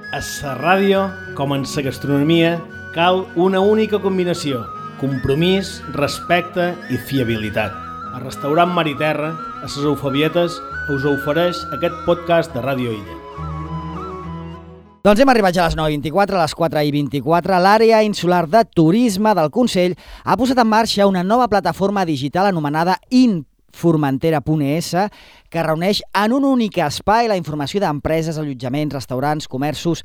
A la ràdio, com en la gastronomia, cal una única combinació: compromís, respecte i fiabilitat. El restaurant Mar i Terra, a les Eufabietes, us ofereix aquest podcast de Ràdio Illa. Doncs hem arribat ja a les 9:24, a les 4:24. L'àrea insular de turisme del Consell ha posat en marxa una nova plataforma digital anomenada Formentera.es, que reuneix en un únic espai la informació d'empreses, allotjaments, restaurants, comerços,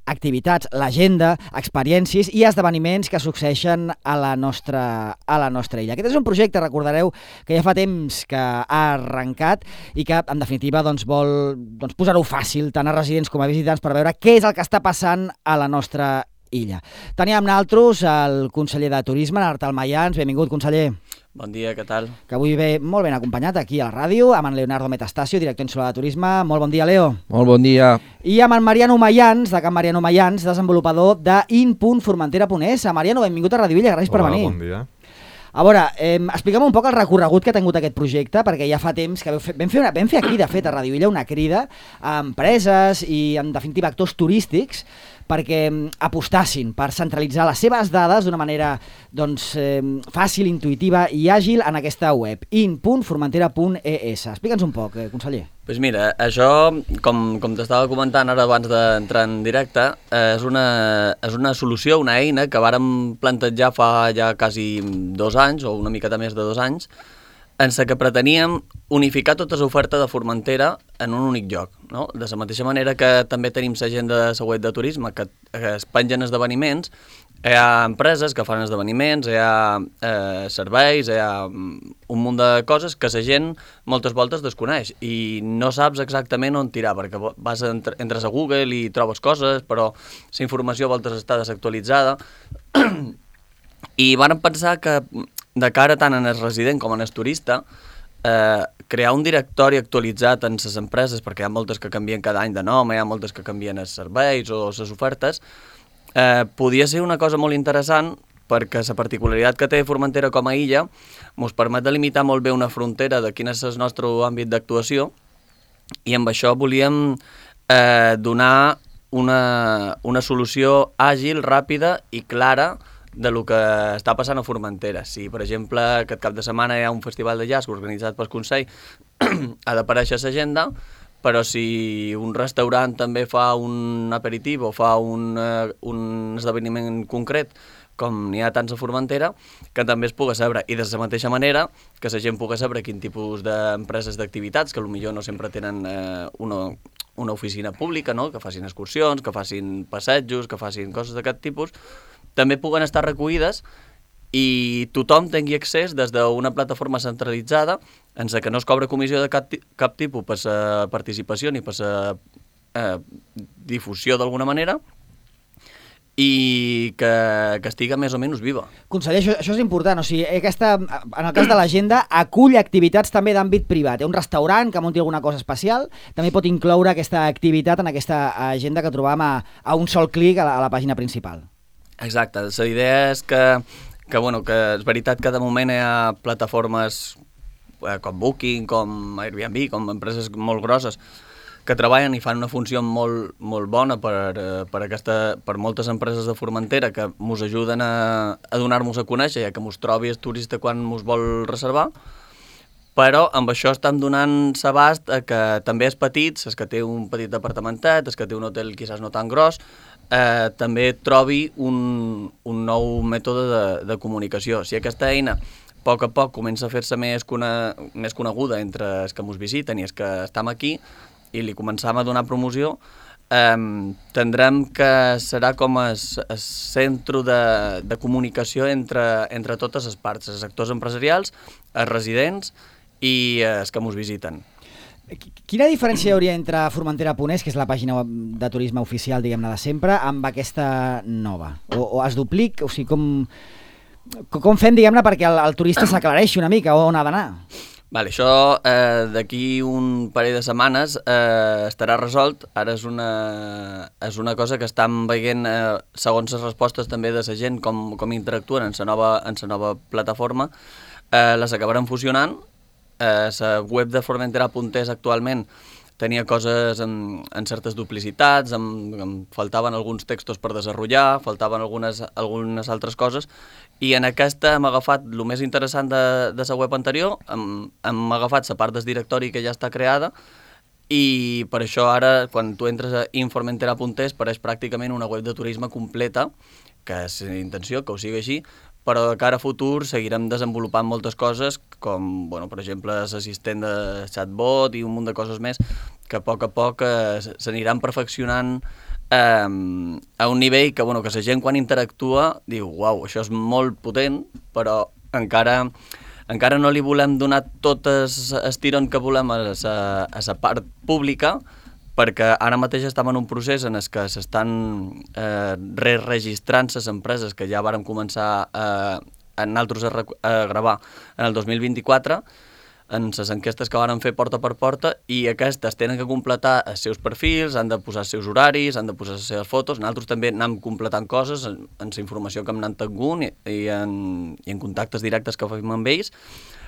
activitats, l'agenda, experiències i esdeveniments que succeeixen a la nostra illa. Aquest és un projecte, recordareu, que ja fa temps que ha arrencat i que, en definitiva, vol posar-ho fàcil tant a residents com a visitants per veure què és el que està passant a la nostra illa. Teníem amb nosaltres el conseller de Turisme, Artal Mayans. Benvingut, conseller. Bon dia, què tal? Que avui ve molt ben acompanyat aquí a la ràdio, amb en Leonardo Metastasio, director insular de Turisme. Molt bon dia, Leo. Molt bon dia. I amb en Mariano Mayans, de Can Mariano Mayans, desenvolupador de in.formentera.es. Mariano, benvingut a Ràdio Illa, gràcies per venir. Bon dia. A veure, explica'm un poc el recorregut que ha tingut aquest projecte, perquè ja fa temps que vam fer aquí, de fet, a Ràdio Illa, una crida a empreses i, en definitiva, actors turístics perquè apostassin per centralitzar les seves dades d'una manera fàcil, intuïtiva i àgil en aquesta web, in.formentera.es. Explica'ns un poc, conseller. Doncs mira, això, com t'estava comentant ara abans d'entrar en directe, és una solució, una eina que vàrem plantejar fa ja quasi 2 anys, o una miqueta més de 2 anys, en la que preteníem unificar tota l'oferta de Formentera en un únic lloc, no? De la mateixa manera que també tenim l'agenda de la web de turisme, que es pengen esdeveniments, hi ha empreses que fan esdeveniments, hi ha serveis, hi ha un munt de coses que la gent moltes voltes desconeix i no saps exactament on tirar, perquè entres a Google i trobes coses, però la informació a voltes està desactualitzada. I vàrem pensar que, de cara tant en el resident com en el turista, crear un directori actualitzat en les empreses, perquè hi ha moltes que canvien cada any de nom, hi ha moltes que canvien els serveis o les ofertes, podia ser una cosa molt interessant, perquè la particularitat que té Formentera com a illa ens permet delimitar molt bé una frontera de quin és el nostre àmbit d'actuació, i amb això volíem donar una solució àgil, ràpida i clara de lo que està passant a Formentera. Si, per exemple, aquest cap de setmana hi ha un festival de jazz organitzat pel Consell, ha d'aparèixer a l'agenda, però si un restaurant també fa un aperitiu o fa un esdeveniment concret, com n'hi ha tants a Formentera, que també es pugui saber. I de la mateixa manera que la gent pugui saber quin tipus d'empreses d'activitats, que potser no sempre tenen una oficina pública, no? Que facin excursions, que facin passejos, que facin coses d'aquest tipus, també puguen estar recollides i tothom tingui accés des d'una plataforma centralitzada en la que no es cobra comissió de cap tipus per la participació ni per la difusió d'alguna manera, i que estiga més o menys viva. Conseller, això és important. O sigui, en el cas de l'agenda, acull activitats també d'àmbit privat. Hi ha un restaurant que munti alguna cosa especial, també pot incloure aquesta activitat en aquesta agenda que trobam a un sol clic a la pàgina principal. Exacte. La idea és que és veritat que de moment hi ha plataformes com Booking, com Airbnb, com empreses molt grosses que treballen i fan una funció molt, molt bona per moltes empreses de Formentera que ens ajuden a donar-nos a conèixer, ja que ens trobi el turista quan ens vol reservar, però amb això estem donant l'abast que també és petit, els que té un petit apartamentet, els que té un hotel quizás no tan gros, també trobi un nou mètode de comunicació. Si aquesta eina a poc comença a fer-se més coneguda entre els que ens visiten i els que estem aquí, i li començam a donar promoció, tindrem que serà com el centre de comunicació entre totes les parts, els actors empresarials, els residents i els que ens visiten. Quina diferència hi hauria entre Formentera.es, que és la pàgina de turisme oficial, diguem-ne, de sempre, amb aquesta nova? O es duplica? O sigui, com fem, diguem-ne, perquè el turista s'aclareixi una mica on ha d'anar? Vale, això d'aquí un parell de setmanes estarà resolt. Ara és una cosa que estem veient, segons les respostes també de la gent, com interactuen en la nova plataforma. Les acabaran fusionant. La web de Formentera.es actualment tenia coses en certes duplicitats, em faltaven alguns textos per desenvolupar, faltaven algunes altres coses, i en aquesta hem agafat el més interessant de la web anterior, hem agafat la part del directori que ja està creada, i per això ara, quan tu entres a informentera.es, pareix pràcticament una web de turisme completa, que és la intenció, que ho sigui així, però de cara a futur seguirem desenvolupant moltes coses, com, per exemple, l'assistent de chatbot i un munt de coses més, que a poc s'aniran perfeccionant a un nivell que la gent quan interactua diu, uau, això és molt potent, però encara no li volem donar totes el tirón que volem a la part pública, perquè ara mateix estem en un procés en què s'estan registrant les empreses que ja vàrem començar nosaltres a gravar en el 2024, en les enquestes que vàrem fer porta per porta, i aquestes tenen que completar els seus perfils, han de posar els seus horaris, han de posar les seves fotos. Nosaltres també anem completant coses en la informació que hem anat tenint i en contactes directes que fem amb ells,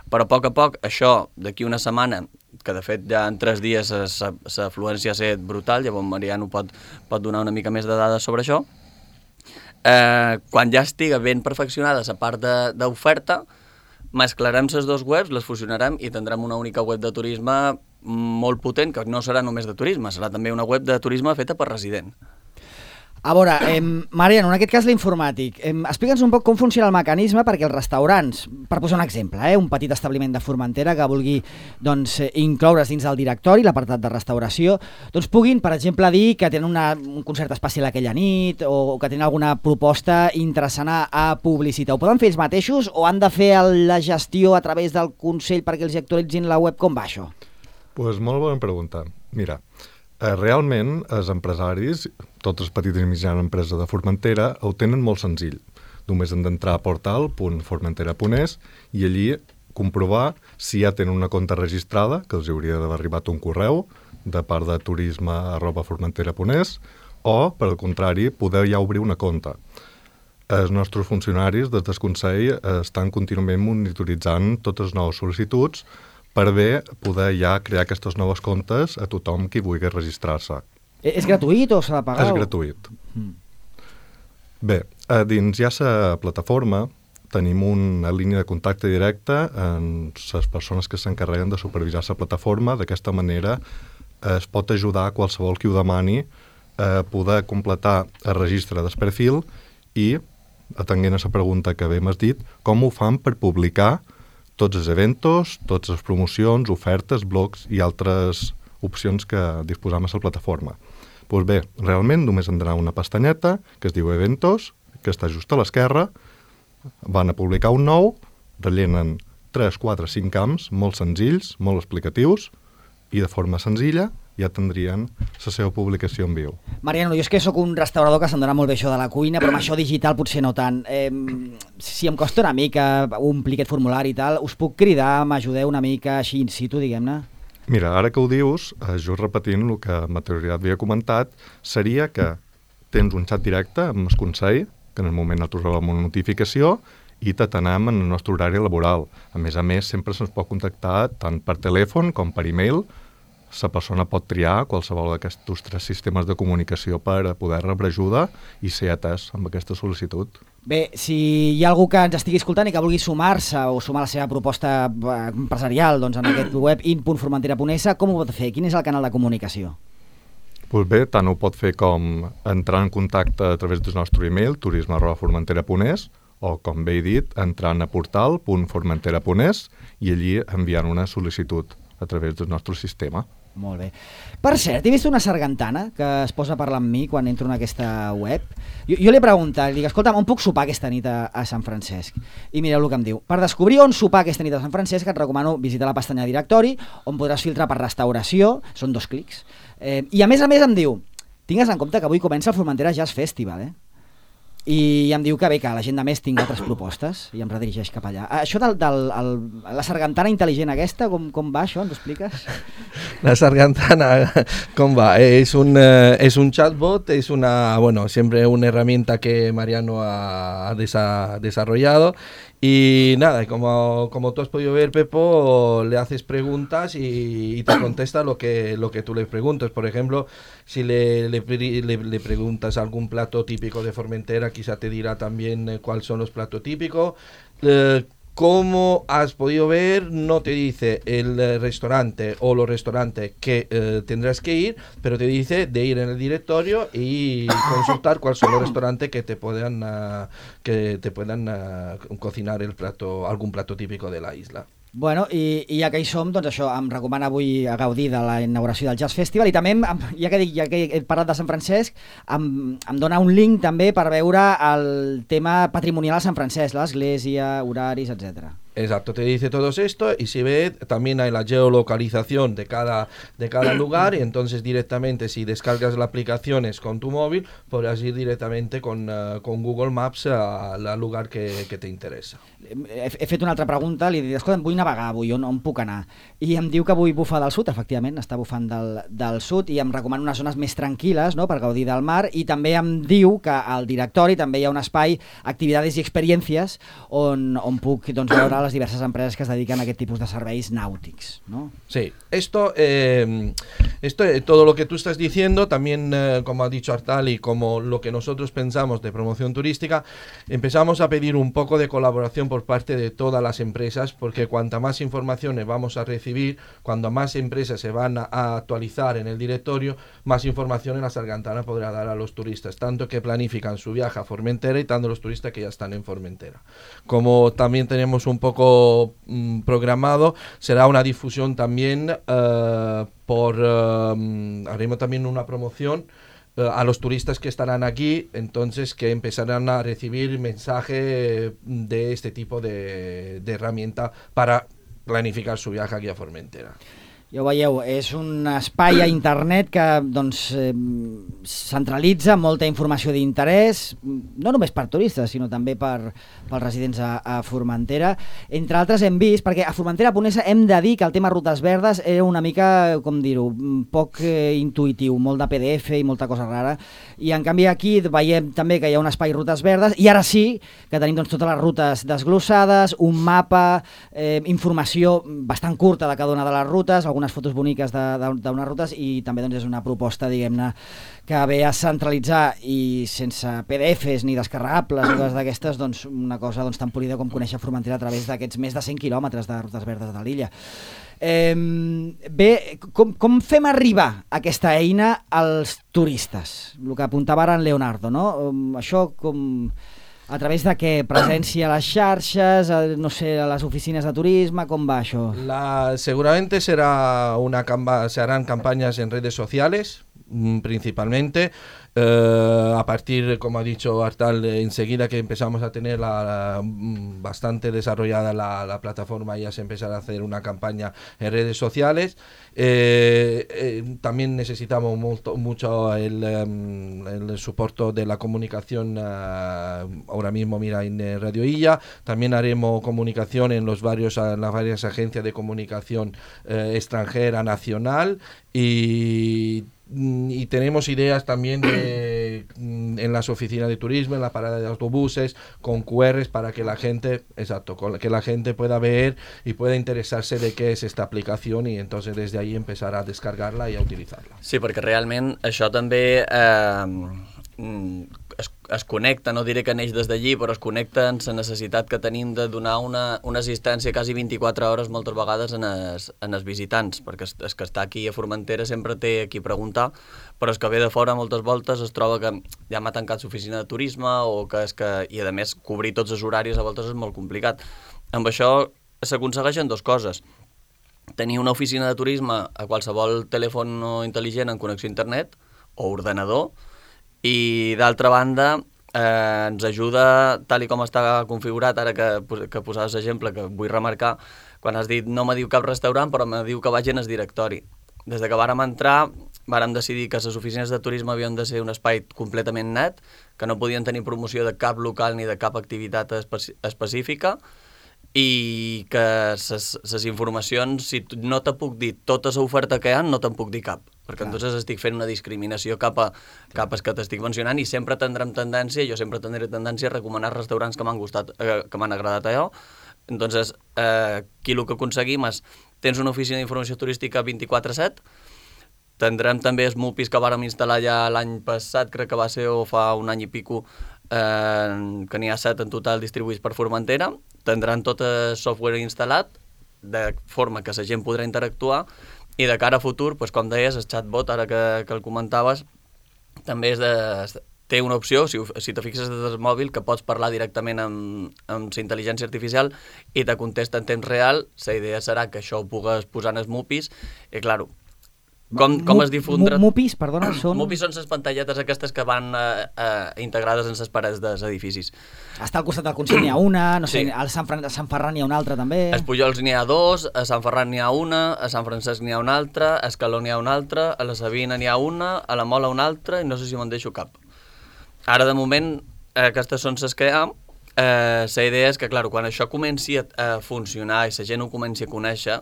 però a poc, això, d'aquí una setmana, que de fet ja en 3 dies l'afluència ha estat brutal, llavors Mariano pot donar una mica més de dades sobre això, quan ja estiga ben perfeccionada la part d'oferta, mesclarem les dues webs, les fusionarem i tindrem una única web de turisme molt potent, que no serà només de turisme, serà també una web de turisme feta per resident. A veure, Mariano, en aquest cas l'informàtic, explica'ns un poc com funciona el mecanisme perquè els restaurants, per posar un exemple, un petit establiment de Formentera que vulgui incloure's dins del directori, l'apartat de restauració, puguin, per exemple, dir que tenen un concert especial aquella nit o que tenen alguna proposta interessant a publicitar. Ho poden fer ells mateixos o han de fer la gestió a través del Consell perquè els actualitzin la web? Com va això? Doncs molt bona pregunta. Mira, realment els empresaris, totes les petites i mitjanes empreses de Formentera, ho tenen molt senzill. Només han d'entrar a portal.formentera.es i allí comprovar si ja tenen una compte registrada, que els hauria d'haver arribat un correu de part de turisme@formentera.es, o, per al contrari, poder ja obrir una compte. Els nostres funcionaris des del Consell estan contínuament monitoritzant totes les noves sol·licituds per bé poder ja crear aquestes noves comptes a tothom qui vulgui registrar-se. És gratuït o s'ha de pagar? És gratuït. Bé, dins ja la plataforma tenim una línia de contacte directe amb les persones que s'encarreguen de supervisar la plataforma. D'aquesta manera es pot ajudar qualsevol qui ho demani a poder completar el registre del perfil i, atenent a la pregunta que bé m'has dit, com ho fan per publicar tots els eventos, totes les promocions, ofertes, blogs i altres opcions que disposam a la plataforma. Doncs bé, realment només han d'anar a una pestanyeta que es diu Eventos, que està just a l'esquerra, van a publicar un nou, rellenen 3, 4, 5 camps molt senzills, molt explicatius, i de forma senzilla ja tindrien la seva publicació en viu. Mariano, jo és que sóc un restaurador que se'm dona molt bé això de la cuina, però amb això digital potser no tant. Si em costa una mica omplir aquest formulari i tal, us puc cridar, m'ajudeu una mica així in situ, diguem-ne? Mira, ara que ho dius, just repetint el que Materialitat havia comentat, seria que tens un xat directe amb el Consell, que en el moment nosaltres rebem una notificació, i t'atenem en el nostre horari laboral. A més, sempre se'ns pot contactar tant per telèfon com per e-mail. La persona pot triar qualsevol d'aquests 3 sistemes de comunicació per poder rebre ajuda i ser atès amb aquesta sol·licitud. Bé, si hi ha algú que ens estigui escoltant i que vulgui sumar-se o sumar la seva proposta empresarial en aquest web in.formentera.es, com ho pot fer? Quin és el canal de comunicació? Doncs bé, tant ho pot fer com entrar en contacte a través del nostre e-mail turisme@formentera.es o, com bé he dit, entrant a portal.formentera.es i allí enviant una sol·licitud a través del nostre sistema. Molt bé. Per cert, he vist una sargantana que es posa a parlar amb mi quan entro en aquesta web. Jo li he preguntat, li dic, escolta'm, on puc sopar aquesta nit a Sant Francesc? I mireu el que em diu. Per descobrir on sopar aquesta nit a Sant Francesc et recomano visitar la pestanya directori, on podràs filtrar per restauració, són 2 clics, i a més em diu, tingues en compte que avui comença el Formentera Jazz Festival, i em diu que bé, que a l'agenda més tinc altres propostes i em redirigeix cap allà. Això la sargantana intel·ligent aquesta, com va això? Ens ho expliques? La sargantana, ¿cómo va? Es un chatbot, es siempre una herramienta que Mariano ha desarrollado. Y nada, como tú has podido ver, Pepo, le haces preguntas y te contesta lo que tú le preguntas. Por ejemplo, si le preguntas algún plato típico de Formentera, quizá te dirá también cuáles son los platos típicos. Como has podido ver, no te dice el restaurante o los restaurantes que tendrás que ir, pero te dice de ir en el directorio y consultar cuáles son los restaurantes que te puedan cocinar algún plato típico de la isla. Bueno, i ja que hi som, doncs això, em recomana avui a gaudir de la inauguració del Jazz Festival i també, ja que he parlat de Sant Francesc, em dona un link també per veure el tema patrimonial a Sant Francesc, l'església, horaris, etc. Exacto, te dice todo esto y si ve también hay la geolocalización de cada lugar y entonces directamente si descargas las aplicaciones con tu móvil podrás ir directamente con Google Maps al lugar que te interessa. He fet una altra pregunta, li dic, escolta, vull navegar avui, on puc anar? I em diu que avui bufa del sud, efectivament, està bufant del sud i em recomana unes zones més tranquil·les, no?, per gaudir del mar, i també em diu que al directori també hi ha un espai, activitats i experiències on puc veure les diverses empreses que es dediquen a aquest tipus de serveis nàutics, ¿no? Sí, esto todo lo que tú estás diciendo, también como ha dicho Artal y como lo que nosotros pensamos de promoción turística, empezamos a pedir un poco de colaboración por parte de todas las empresas, porque cuanta más informaciones vamos a recibir, cuando más empresas se van a actualizar en el directorio, más información la sargantana podrá dar a los turistas, tanto que planifican su viaje a Formentera y tanto los turistas que ya están en Formentera. Como también tenemos un poco programado, será una difusión también haremos también una promoción a los turistas que estarán aquí, entonces que empezarán a recibir mensaje de este tipo de herramienta para planificar su viaje aquí a Formentera. Ja ho veieu, és un espai a internet que centralitza molta informació d'interès, no només per turistes, sinó també pels residents a Formentera. Entre altres hem vist, perquè a Formentera Ponesa hem de dir que el tema rutes verdes era una mica, com dir-ho, poc intuïtiu, molt de PDF i molta cosa rara, i en canvi aquí veiem també que hi ha un espai rutes verdes, i ara sí que tenim totes les rutes desglossades, un mapa, informació bastant curta de cada una de les rutes, algunes fotos boniques d'unes rutes, i també és una proposta, diguem-ne, que ve a centralitzar i sense PDFs ni descarregables o coses d'aquestes, una cosa tan polida com conèixer Formentera a través d'aquests més de 100 quilòmetres de rutes verdes de l'illa. Bé, com fem arribar aquesta eina als turistes? El que apuntava ara en Leonardo, no? Això com... A través de què? Presència a les xarxes, no sé, a les oficines de turisme, com va això? Seguramente se harán campañas en redes sociales, principalmente. A partir, como ha dicho Artal, enseguida que empezamos a tener bastante desarrollada la plataforma, ya se empezará a hacer una campaña en redes sociales. También necesitamos mucho el soporte de la comunicación, ahora mismo mira en Radio Illa. También haremos comunicación en las varias agencias de comunicación extranjera, nacional, y tenemos ideas también en las oficinas de turismo, en la parada de autobuses, con QRs para que la gente, pueda ver y pueda interesarse de qué es esta aplicación, y entonces desde ahí empezar a descargarla y a utilizarla. Sí, perquè realment això també es connecta, no diré que neix des d'allí, però es connecta en la necessitat que tenim de donar una assistència quasi 24 hores moltes vegades en els visitants, perquè el que està aquí a Formentera sempre té a qui preguntar, però el que ve de fora moltes voltes es troba que ja m'ha tancat l'oficina de turisme, i a més cobrir tots els horaris a voltes és molt complicat. Amb això s'aconsegueixen dues coses: tenir una oficina de turisme a qualsevol telèfon intel·ligent en connexió a internet o ordenador, i d'altra banda ens ajuda, tal i com està configurat, ara que posaves l'exemple, que vull remarcar, quan has dit no me diu cap restaurant però me diu que vagi en el directori. Des que vàrem entrar vàrem decidir que les oficines de turisme havien de ser un espai completament net, que no podien tenir promoció de cap local ni de cap activitat específica, i que les informacions, si no te puc dir tota l'oferta que hi ha, no te'n puc dir cap, perquè entonces estic fent una discriminació cap a els que t'estic mencionant, i sempre tindré tendència a recomanar restaurants que m'han gustat, que m'han agradat allò. Entonces, aquí el que aconseguim és, tens una oficina d'informació turística 24/7, tindrem també els MUPIs que vàrem instal·lar ja l'any passat, crec que va ser, o fa un any i pico, que n'hi ha 7 en total distribuïts per Formentera. Tindran tot el software instal·lat, de forma que la gent podrà interactuar, i de cara a futur, com deies, el chatbot, ara que el comentaves, també té una opció, si te fixes des del mòbil, que pots parlar directament amb la intel·ligència artificial i te contesta en temps real. La idea serà que això ho pugues posar en els MUPIs, i clar, com es difondrà... MUPIs, perdona, són... MUPIs són les pantalletes aquestes que van integrades en les parets dels edificis. Està al costat del Consell n'hi ha una, no sé, al Sant Ferran n'hi ha una altra també... A Pujols n'hi ha 2, a Sant Ferran n'hi ha una, a Sant Francesc n'hi ha una altra, a Escaló n'hi ha una altra, a la Sabina n'hi ha una, a la Mola una altra, i no sé si me'n deixo cap. Ara, de moment, aquestes són les que hi ha. La idea és que, clar, quan això comenci a funcionar i la gent ho comenci a conèixer,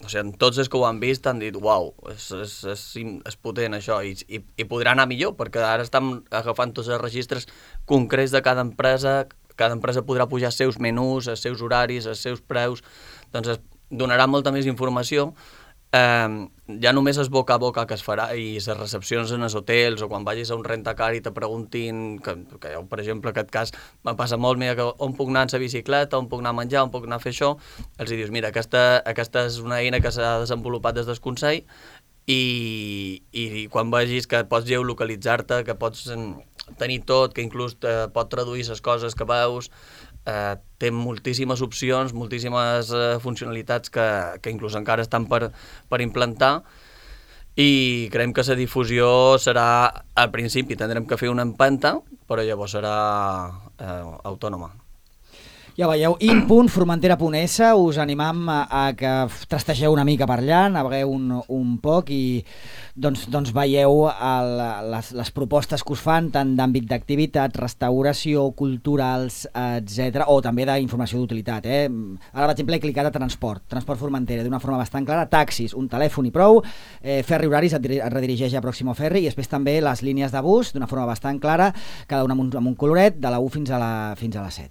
o sigui, tots els que ho han vist han dit uau, és potent això, i podrà anar millor, perquè ara estem agafant tots els registres concrets de cada empresa podrà pujar els seus menús, els seus horaris, els seus preus, doncs donarà molta més informació. Ja només és boca a boca que es farà, i les recepcions en els hotels, o quan vagis a un rentacar i te preguntin, que per exemple, en aquest cas me passa molt, mira, on puc anar en la bicicleta, on puc anar a menjar, on puc anar a fer això, els dius, mira, aquesta és una eina que s'ha desenvolupat des del Consell, i quan vegis que pots geolocalitzar-te, que pots tenir tot, que inclús pot traduir les coses que veus, té moltíssimes opcions, moltíssimes funcionalitats que inclús encara estan per implantar, i creiem que la difusió serà, al principi tindrem que fer una empenta, però llavors serà autònoma. Ja veieu, in.formentera.es, us animam a que trastegeu una mica per allà, navegueu un poc i doncs veieu les propostes que us fan, tant d'àmbit d'activitat, restauració, culturals, etc, o també d'informació d'utilitat. Ara, per exemple, he clicat a transport Formentera, d'una forma bastant clara, taxis, un telèfon i prou, Ferri Horaris et redirigeix a Pròximo Ferri, i després també les línies de bus, d'una forma bastant clara, cada una amb un coloret, de la 1 fins a la 7.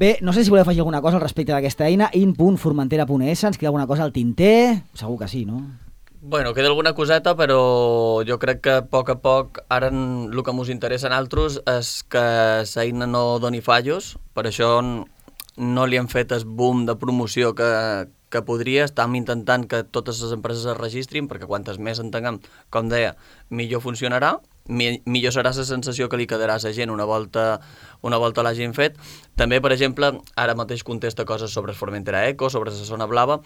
Bé, no sé si voleu afegir alguna cosa al respecte d'aquesta eina, in.formentera.es, ens queda alguna cosa al tinter? Segur que sí, no? Bueno, queda alguna coseta, però jo crec que a poc, ara el que ens interessa a nosaltres és que l'eina no doni fallos, per això no li hem fet el boom de promoció que podria. Estem intentant que totes les empreses es registrin, perquè quantes més en tinguem, com deia, millor funcionarà, millor serà la sensació que li quedarà a la gent una volta l'hagin fet. També, per exemple, ara mateix contesta coses sobre Formentera Eco, sobre la zona blava,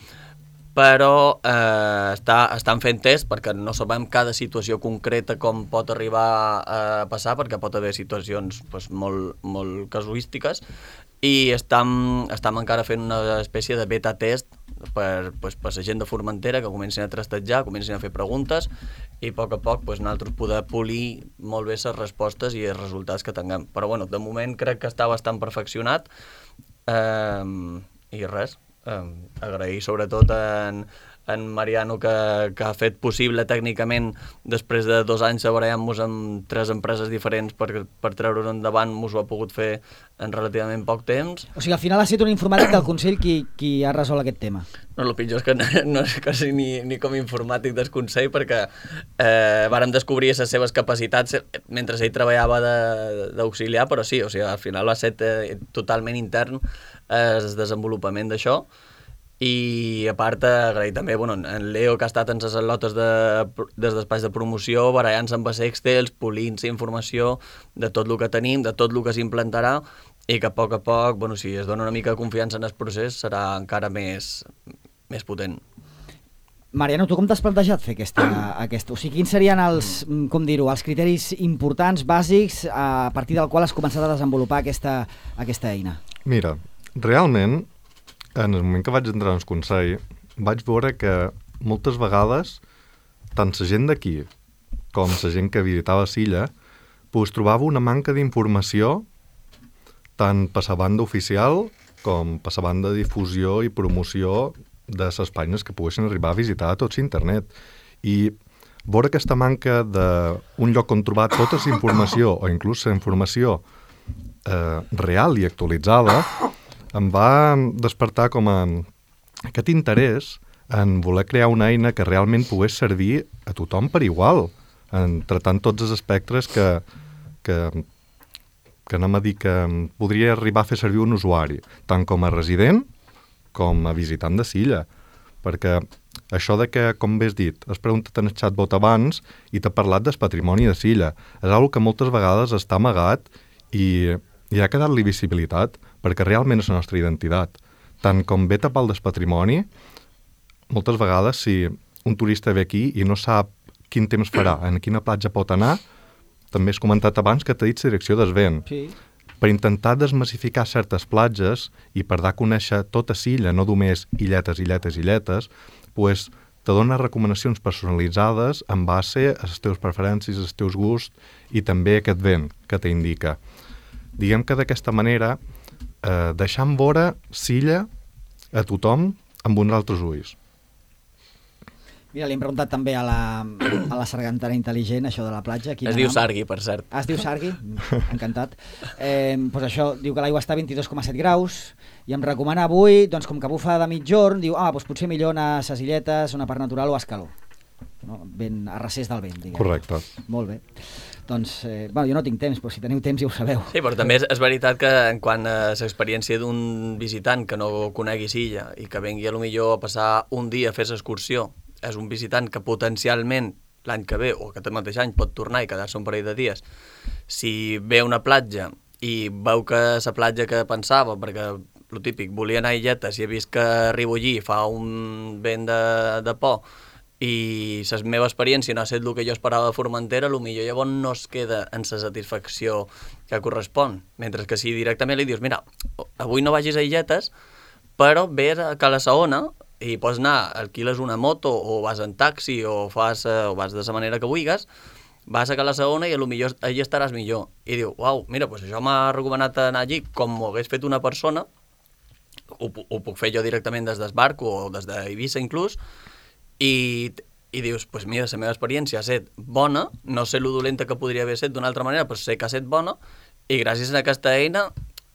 però estan fent test perquè no sabem cada situació concreta com pot arribar a passar, perquè pot haver situacions molt casuístiques, i estem encara fent una espècie de beta test per la gent de Formentera, que comencin a trastejar, comencin a fer preguntes, i a poc nosaltres poder polir molt bé les respostes i els resultats que tinguem. Però bueno, de moment crec que està bastant perfeccionat, i res, agrair sobretot en Mariano que ha fet possible tècnicament, després de 2 anys barallant-nos amb 3 empreses diferents per treure-ho endavant, ens ho ha pogut fer en relativament poc temps. O sigui, al final ha estat un informàtic del Consell qui ha resolt aquest tema. No, el pitjor és que no és quasi ni com informàtic del Consell, perquè vàrem descobrir les seves capacitats mentre ell treballava d'auxiliar, però sí, o sigui, al final va ser totalment intern el desenvolupament d'això. I a part, agrair també en Leo, que ha estat en les al·lotes des d'espais de promoció, barallant-se amb els Excels, polint-se informació de tot el que tenim, de tot el que s'implantarà, i que a poc, si es dona una mica de confiança en el procés, serà encara més potent. Mariano, tu com t'has plantejat fer aquesta? O sigui, quins serien els criteris importants, bàsics, a partir del qual has començat a desenvolupar aquesta eina? Mira, realment, en el moment que vaig entrar en el Consell, vaig veure que moltes vegades tant la gent d'aquí com la gent que visitava Silla, pues trobava una manca d'informació tant per la banda oficial com per la banda de difusió i promoció de les pàgines que poguessin arribar a visitar a tots internet. I veure aquesta manca d'un lloc on trobar tota la informació o inclús la informació real i actualitzada em va despertar com a aquest interès en voler crear una eina que realment pogués servir a tothom per igual, en tratant tots els espectres que anem a dir que podria arribar a fer servir un usuari, tant com a resident com a visitant de Silla. Perquè això de que, com bé has dit, has preguntat en el chatbot abans i t'ha parlat del patrimoni de Silla. És una que moltes vegades està amagat i ha quedat-li visibilitat, perquè realment és la nostra identitat. Tant com ve tapar del patrimoni, moltes vegades si un turista ve aquí i no sap quin temps farà, en quina platja pot anar, també has comentat abans que t'ha dit la direcció del vent. Sí. Per intentar desmassificar certes platges i per dar a conèixer tota Silla, no només illetes, pues, te dona recomanacions personalitzades en base a les teves preferències, als teus gusts i també aquest vent que t'indica. Diguem que d'aquesta manera deixant vora Silla a tothom amb uns altres ulls. Mira, li hem preguntat també a la sargantana intel·ligent, això de la platja. Es diu Sargui, per cert. Es diu Sargui? Encantat. Doncs això, diu que l'aigua està a 22,7 graus i em recomana avui, doncs com que bufa de mitjorn, diu, doncs potser millor anar a ses illetes, una part natural o a Escaló. No? Ben a recés del vent, diguem. Correcte. Molt bé. Doncs, jo no tinc temps, però si teniu temps ja ho sabeu. Sí, però també és veritat que en quant a l'experiència d'un visitant que no conegui Silla i que vengui a lo millor a passar un dia a fer l'excursió, és un visitant que potencialment l'any que ve o aquest mateix any pot tornar i quedar-se un parell de dies. Si ve a una platja i veu que la platja que pensava, perquè el típic, volia anar a illetes i he vist que arribo allí i fa un vent de por i la meva experiència no ha estat el que jo esperava de Formentera, potser llavors no es queda en la satisfacció que correspon. Mentre que si directament li dius, mira, avui no vagis a illetes, però ve a Cala Saona i pots anar, alquiles una moto o vas en taxi o vas de la manera que vulguis, vas a Cala Saona i potser allí estaràs millor. I diu, uau, mira, doncs això m'ha recomanat anar allí com ho hagués fet una persona, ho puc fer jo directament des del barco o des d'Eivissa inclús, i dius, doncs mira, la meva experiència ha estat bona, no sé lo dolenta que podria haver estat d'una altra manera, però sé que ha estat bona, i gràcies a aquesta eina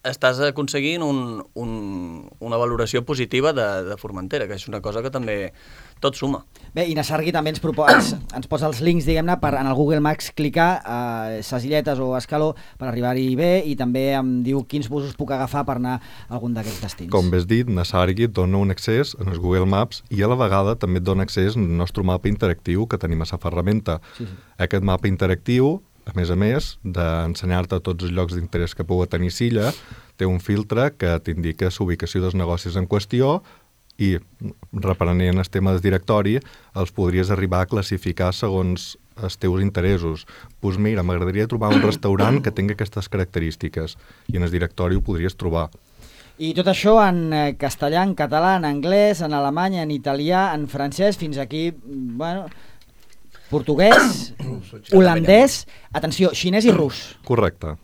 estàs aconseguint una valoració positiva de Formentera, que és una cosa que també tot suma. Bé, i Nasargui també ens posa els links, diguem-ne, per en el Google Maps clicar a ses illetes o a Escaló per arribar-hi bé, i també em diu quins busos puc agafar per anar a algun d'aquests destins. Com bé has dit, Nasargui et dona un accés en els Google Maps i a la vegada també et dona accés al nostre mapa interactiu que tenim a la ferramenta. Sí. Aquest mapa interactiu, a més d'ensenyar-te tots els llocs d'interès que pugui tenir Silla, té un filtre que t'indica l'ubicació dels negocis en qüestió i, reprenent el tema del directori, els podries arribar a classificar segons els teus interessos. Doncs mira, m'agradaria trobar un restaurant que tingui aquestes característiques i en el directori ho podries trobar. I tot això en castellà, en català, en anglès, en alemany, en italià, en francès, fins aquí, portuguès, holandès, atenció, xinès i rus. Correcte.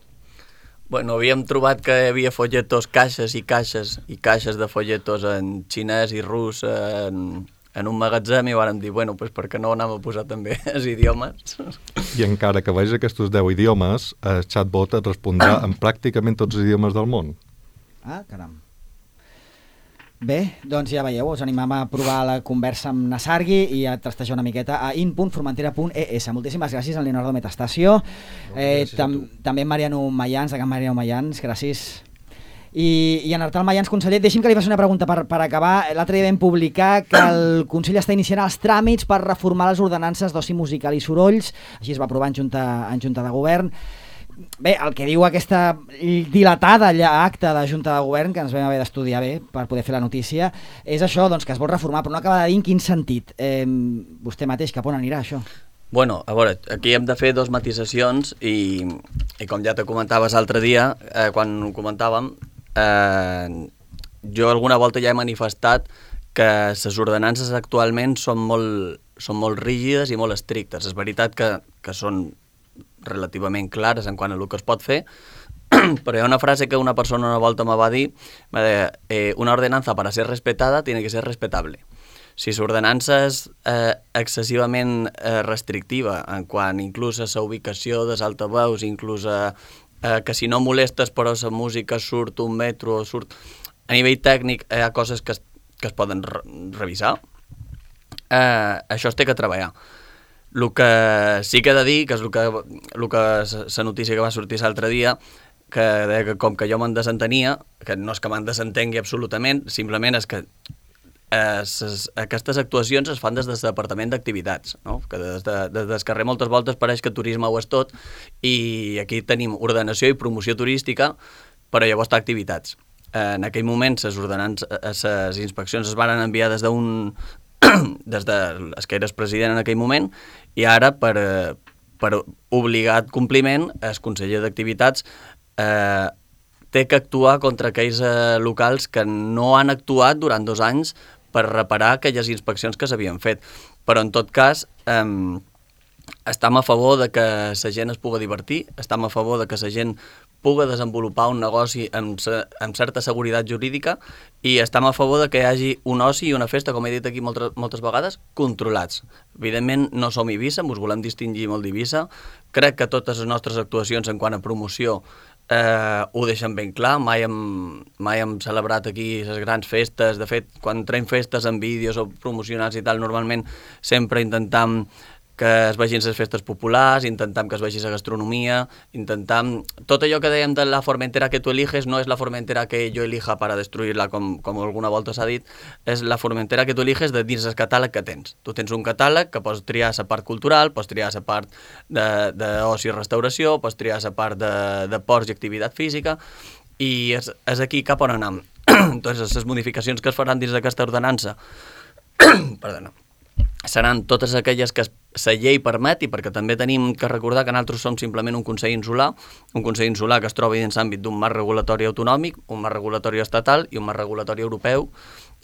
Bueno, havíem trobat que hi havia folletos, caixes i caixes i caixes de folletos en xinès i rus en un magatzem i vàrem dir, bueno, doncs per què no anem a posar també els idiomes? I encara que vegis aquests 10 idiomes, el chatbot et respondrà en pràcticament tots els idiomes del món. Ah, caram. Bé, doncs ja veieu, us animam a provar la conversa amb Nasargui i a trastejar una miqueta a in.formentera.es. Moltíssimes gràcies a Leonardo Metastasio, també Mariano Mayans, de Can Mariano Mayans, gràcies. I en Artal Mayans, conseller, deixi'm que li faci una pregunta per acabar. L'altre dia vam publicar que el Consell està iniciant els tràmits per reformar les ordenances d'oci musical i sorolls, així es va aprovar en Junta de Govern. Bé, el que diu aquesta dilatada acta de Junta de Govern, que ens vam haver d'estudiar bé per poder fer la notícia, és això, doncs, que es vol reformar, però no acaba de dir en quin sentit. Vostè mateix, cap on anirà això? Bueno, a veure, aquí hem de fer dos matisacions i com ja te comentaves l'altre dia, quan ho comentàvem, jo alguna volta ja he manifestat que les ordenances actualment són molt rígides i molt estrictes. És veritat que són relativament clares en quant a el que es pot fer, però hi ha una frase que una persona una volta me va dir, una ordenanza para ser respetada tiene que ser respetable. Si l'ordenança és excessivament restrictiva, en quant inclús a la ubicació dels altaveus, inclús que si no molestes però la música surt un metro, surt... A nivell tècnic hi ha coses que es poden revisar. Això es té que treballar. El que sí que he de dir, que és la notícia que va sortir l'altre dia, que deia que com que jo me'n desentenia, que no és que me'n desentengui absolutament, simplement és que aquestes actuacions es fan des del Departament d'Activitats, no? Que des del carrer moltes voltes pareix que turisme ho és tot, i aquí tenim ordenació i promoció turística, però llavors està activitats. En aquell moment les inspeccions es van enviar des de que eres president en aquell moment, i ara per obligat compliment el conseller d'Activitats té que actuar contra aquells locals que no han actuat durant 2 anys per reparar aquelles inspeccions que s'havien fet. Però en tot cas estem a favor de que la gent es pugui divertir, estem a favor de que la gent pugui desenvolupar un negoci amb certa seguretat jurídica, i estem a favor de que hi hagi un oci i una festa, com he dit aquí moltes vegades, controlats. Evidentment no som Eivissa, ens volem distingir molt d'Eivissa. Crec que totes les nostres actuacions en quant a promoció ho deixen ben clar. Mai hem celebrat aquí les grans festes. De fet, quan traiem festes en vídeos o promocionats i tal, normalment sempre intentam que es vegin les festes populars, intentam que es vegi la gastronomia, intentam... Tot allò que dèiem de la Formentera que tu eliges no és la Formentera que jo elija per a destruir-la, com alguna volta s'ha dit, és la Formentera que tu eliges de dins el catàleg que tens. Tu tens un catàleg que pots triar la part cultural, pots triar la part d'oci i restauració, pots triar la part de ports i activitat física, i és aquí cap on anem. Entonces, les modificacions que es faran dins d'aquesta ordenança seran totes aquelles que la llei permeti, perquè també tenim que recordar que nosaltres som simplement un Consell Insular que es troba dins l'àmbit d'un marc regulatori autonòmic, un marc regulatori estatal i un marc regulatori europeu.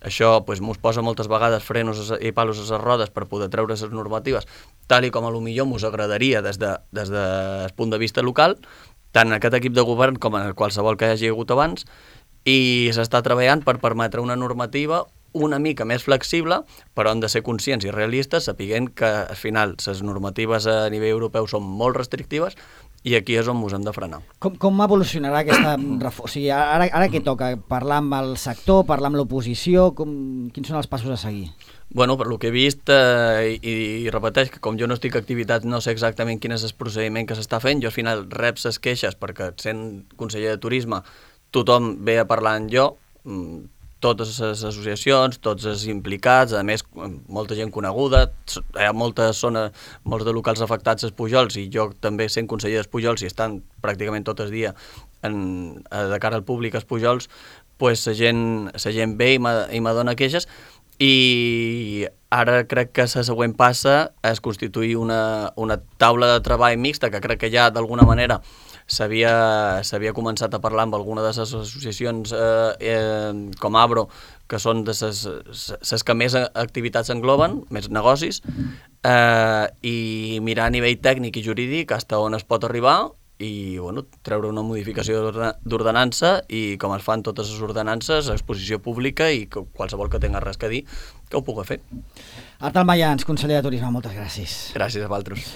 Això mos posa moltes vegades frenos i palos a les rodes per poder treure les normatives, tal i com a lo millor mos agradaria des del punt de vista local, tant en aquest equip de govern com en qualsevol que hi hagi hagut abans, i s'està treballant per permetre una normativa una mica més flexible, però hem de ser conscients i realistes, sapiguent que al final les normatives a nivell europeu són molt restrictives, i aquí és on ens hem de frenar. Com evolucionarà aquesta reforma? O sigui, ara què toca? Parlar amb el sector, parlar amb l'oposició? Quins són els passos a seguir? Bueno, per lo que he vist, i repeteix que com jo no estic a activitat no sé exactament quin és el procediment que s'està fent. Jo al final rep les queixes perquè sent conseller de turisme tothom ve a parlar amb jo, totes les associacions, tots els implicats, a més molta gent coneguda, hi ha molts de locals afectats als Pujols, i jo també sent conseller dels Pujols i estan pràcticament tot el dia de cara al públic als Pujols, pues la gent ve i me dona queixes, i ara crec que la següent passa és constituir una taula de treball mixta, que crec que ja d'alguna manera s'havia començat a parlar amb alguna de les associacions com Abro, que són de les que més activitats engloben, més negocis, i mirar a nivell tècnic i jurídic fins on es pot arribar i treure una modificació d'ordenança, i com es fan totes les ordenances, exposició pública, i que qualsevol que tenga res que dir que ho pugui fer. Artal Mayans, conseller de Turisme, moltes gràcies. Gràcies a vosaltres.